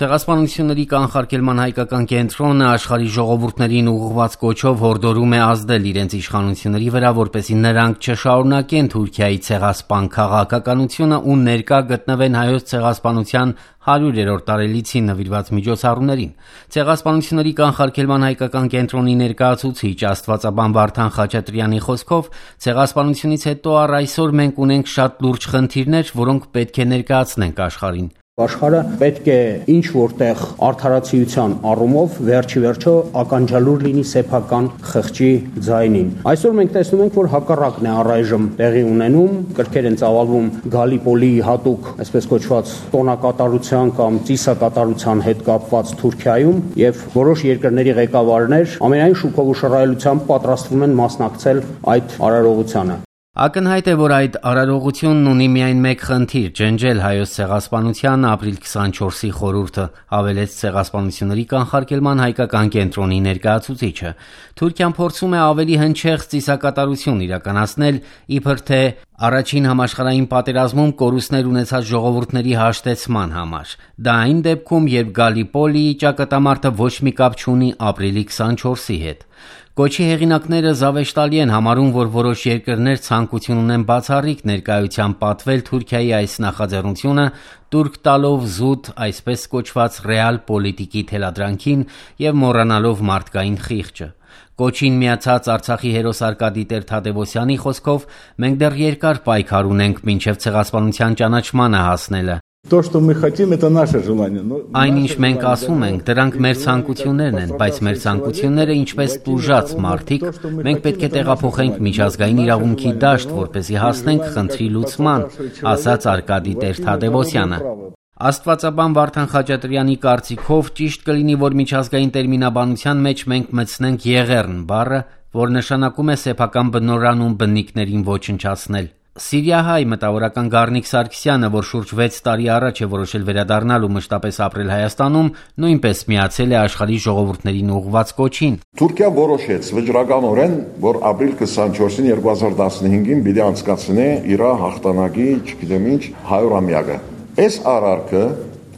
Ցեղասպանությունների կանխարգելման հայկական կենտրոնը աշխարհի ժողովուրդներին ուղղված կոչով հորդորում է ազդել իրենց իշխանությունների վրա, որպեսզի նրանք չշարունակեն Թուրքիայի ցեղասպան քաղաքականությունը ու ներկա գտնվեն հայոց ցեղասպանության 100-րդ տարելիցին նվիրված միջոցառումներին։ Ցեղասպանությունների կանխարգելման հայկական կենտրոնի ներկայացուցիչ Աստվածաբան Վարդան Խաչատրյանի խոսքով, ցեղասպանությունից հետո առ այսօր մենք ունենք շատ լուրջ խնդիրներ, որոնք պետք է ներկայացնենք աշխարհին։ Աշխարհը պետք է ինչ որտեղ արդարացիության առումով վերջի վերջո ականջալուր լինի սեփական խղճի ձայնին։ Այսօր մենք տեսնում ենք, որ հակառակն է առայժմ տեղի ունենում, կրքեր են ծավալվում Գալիպոլի հատուկ, այսպես կոչված, տոնակատարության կամ ծիսակատարության հետ կապված Թուրքիայում եւ որոշ երկրների ղեկավարներ ամենայն շուքով ու շռայլությամբ պատրաստվում են մասնակցել այդ արարողությանը։ Ակնհայտ է, որ այդ արարողությունն ունի միայն մեկ խնդիր՝ ջնջել հայոց ցեղասպանության ապրիլ 24-ի խորհուրդը, հավելեց ցեղասպանությունների կանխարգելման հայկական կենտրոնի ներկայացուցիչը։ Թուրքիան փորձում է ավելի հնչեղ ծիսակատարություն իրականացնել, իբր թե Առաջին համաշխարհային պատերազմում կորուստներ ունեցած ժողովուրդների հաշտեցման համար։ Դա այն դեպքում, երբ Գալիպոլիի ճակատամարտը ոչ մի կապ չունի ապրիլի 24-ի հետ։ Կոչի հեղինակները զավեշտալի են համարում, որ որոշ երկրներ ցանկություն ունեն բացառիկ ներկայությամբ պատվել Թուրքիայի այս նախաձեռնությունը, տուրք տալով զուտ այսպես կոչված ռեալ պոլիտիկի թելադրանքին եւ մոռանալով մարդկային խիղճը։ Կոչին միացած Արցախի հերոս Արկադի Տեր-Թադևոսյանի խոսքով մենք դեռ երկար պայքար ունենք մինչև ցեղասպանության ճանաչմանը հասնելը։ То, что мы хотим, это наше желание. Այնինչ մենք ասում ենք, դրանք մեր ցանկություններն են, բայց մեր ցանկությունները ինչպես տուժած մարդիկ, մենք պետք է տեղափոխենք միջազգային իրավունքի դաշտ, որպեսզի հասնենք խնդրի լուծման, ասաց Արկադի Տեր-Թադևոսյանը։ Աստվածաբան Վարդան Խաչատրյանի կարծիքով ճիշտ կլինի, որ միջազգային տերմինաբանության մեջ մենք մտցնենք եղեռն բառը, որ նշանակում է սեփական բնորանում բնիկներին ոչնչացնել։ Սիրիահայ մտավորական Գառնիկ Սարգսյանը, որ շուրջ 6 տարի առաջ է որոշել վերադառնալ ու մշտապես ապրել Հայաստանում, նույնպես միացել է աշխարհի ժողովուրդներին ուղղված կոչին։ Թուրքիան որոշեց վճռականորեն, որ ապրիլ 24-ին 2015-ին պիտի անցկացնի իր հաղթանակի, չգիտեմ ինչ, 100-ամյակը։ Այս արարքը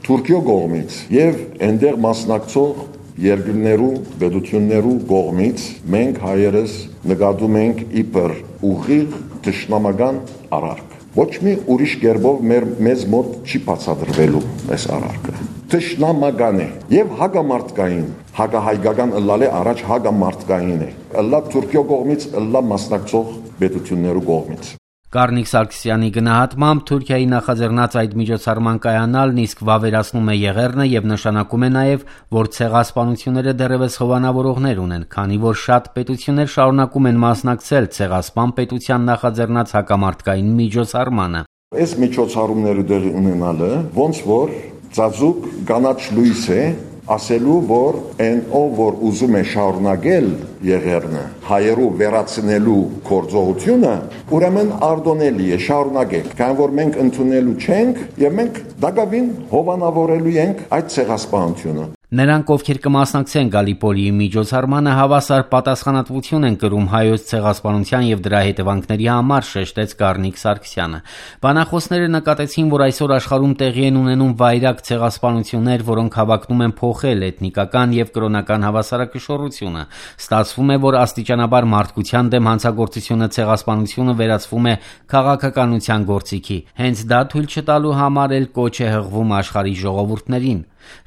Թուրքիո կողմից եւ այնտեղ մասնակցող երկրներու, պետություններու կողմից մենք հայերս նկատում ենք իբր ուղիղ թշնամական արարք։ Ոչ մի ուրիշ կերպով մեզ մոտ չի բացատրվելու այս արարքը։ Թշնամական է եւ հագամարտկային, հագահայկական ըլլալ է առաջ հագամարտկային է։ Ըլլա Թուրքիո կողմից, ըլլա մասնակցող պետություններու կողմից։ Գառնիկ Սարգսյանի գնահատմամբ Թուրքիայի նախաձեռնած այդ միջոցառման կայանալն իսկ վավերացնում է եղեռնը եւ նշանակում է նաեւ, որ ցեղասպանությունները դեռևս հովանավորողներ ունեն, քանի որ շատ պետություններ շարունակում են մասնակցել ցեղասպան պետության նախաձեռնած հակամարտկային միջոցառմանը։ Այս միջոցառումները դեռ ունենալը ոնց որ ծածուկ կանաչ լույս է ասելու, որ այն ով որ ուզում է շարունակել եղեռնը հայերու վերացնելու գործողությունը, ուրեմն արտոնելի է շարունակել, քանի որ մենք ընդունելու չենք եւ մենք դակավին հովանավորելու ենք այդ ցեղասպանությունը։ Նրանք, ովքեր կմասնակցեն Գալիպոլիի միջոցառմանը, հավասար պատասխանատվություն են կրում հայոց ցեղասպանության եւ դրա հետևանքների համար, շեշտեց Գառնիկ Սարգսյանը։ Բանախոսները նկատեցին, որ այսօր աշխարհում տեղի են ունենում վայրագ ցեղասպանություններ, որոնք հավակնում են փոխել էթնիկական եւ կրոնական հավասարակշռությունը։ Ստացվում է, որ աստիճանաբար մարդկության դեմ հանցագործությունը ցեղասպանությունը վերածվում է քաղաքականության գործիքի։ Հենց դա թույլ չտալու համար էլ կոչ է հղվում աշխարհի ժողովուրդներին։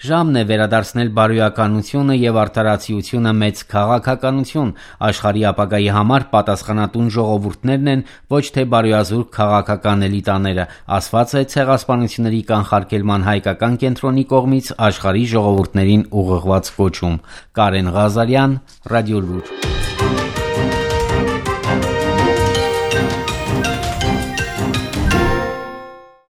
Ժամն է վերադարձնել բարոյականությունը եւ արդարացիությունը մեծ քաղաքականություն, աշխարհի ապագայի համար պատասխանատուն ժողովուրդներն են, ոչ թե բարոյազուրկ քաղաքական էլիտաները, ասված է ցեղասպանությունների կանխարգելման հայկական կենտրոնի կողմից աշխարհի ժողովուրդներին ուղղված կոչում։ Կարեն Ղազարյան, Ռադիոլուր։